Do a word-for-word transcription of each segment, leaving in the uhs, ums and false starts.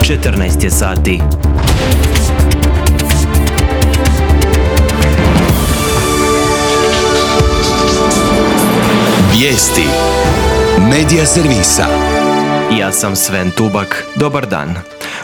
četrnaest je sati. Vijesti Medija servisa. Ja sam Sven Tubak. Dobar dan.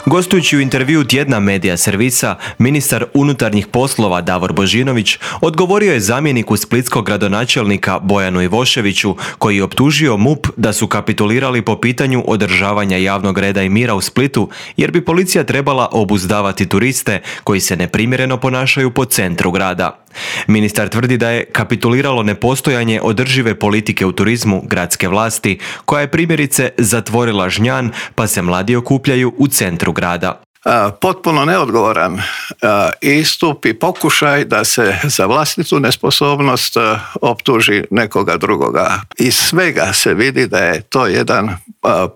Gostujući u intervju tjedna Medija servisa, ministar unutarnjih poslova Davor Božinović odgovorio je zamjeniku splitskog gradonačelnika Bojanu Ivoševiću, koji je optužio MUP da su kapitulirali po pitanju održavanja javnog reda i mira u Splitu, jer bi policija trebala obuzdavati turiste koji se neprimjereno ponašaju po centru grada. Ministar tvrdi da je kapituliralo nepostojanje održive politike u turizmu gradske vlasti, koja je primjerice zatvorila Žnjan, pa se mladi okupljaju u centru grada. Potpuno neodgovoran istup i pokušaj da se za vlastitu nesposobnost optuži nekoga drugoga. Iz svega se vidi da je to jedan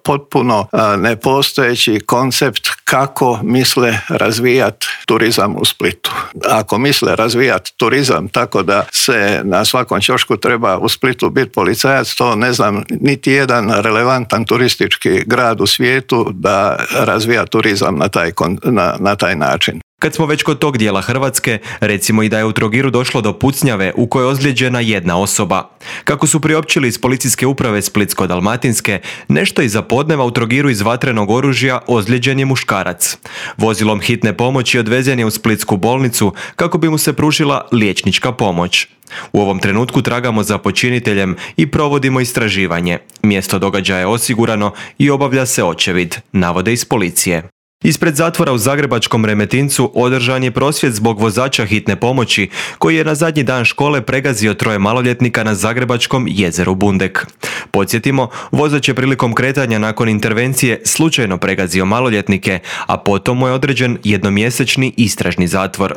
potpuno nepostojeći koncept kako misle razvijati turizam u Splitu. Ako misle razvijati turizam tako da se na svakom ćošku treba u Splitu biti policajac, to ne znam niti jedan relevantan turistički grad u svijetu da razvija turizam na taj, na, na taj način. Kad smo već kod tog dijela Hrvatske, recimo i da je u Trogiru došlo do pucnjave u kojoj je ozlijeđena jedna osoba. Kako su priopćili iz policijske uprave Splitsko-dalmatinske, nešto iza podneva u Trogiru iz vatrenog oružja ozlijeđen je muškarac. Vozilom hitne pomoći odvezen je u splitsku bolnicu kako bi mu se pružila liječnička pomoć. U ovom trenutku tragamo za počiniteljem i provodimo istraživanje. Mjesto događaja je osigurano i obavlja se očevid, navode iz policije. Ispred zatvora u zagrebačkom Remetincu održan je prosvjed zbog vozača hitne pomoći koji je na zadnji dan škole pregazio troje maloljetnika na zagrebačkom jezeru Bundek. Podsjetimo, vozač je prilikom kretanja nakon intervencije slučajno pregazio maloljetnike, a potom mu je određen jednomjesečni istražni zatvor.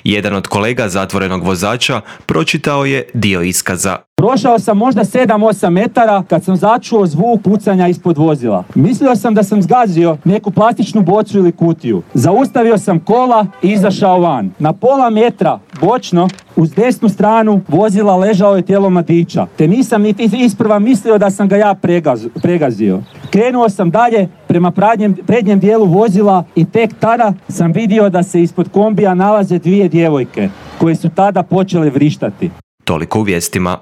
Jedan od kolega zatvorenog vozača pročitao je dio iskaza. Prošao sam možda sedam osam metara kad sam začuo zvuk pucanja ispod vozila. Mislio sam da sam zgazio neku plastičnu bocu ili kutiju. Zaustavio sam kola i izašao van. Na pola metra bočno uz desnu stranu vozila ležao je tijelo mladića, te nisam niti isprva mislio da sam ga ja pregaz, pregazio. Krenuo sam dalje prema prednjem, prednjem dijelu vozila i tek tada sam vidio da se ispod kombija nalaze dvije djevojke koje su tada počele vrištati. Toliko u vijestima.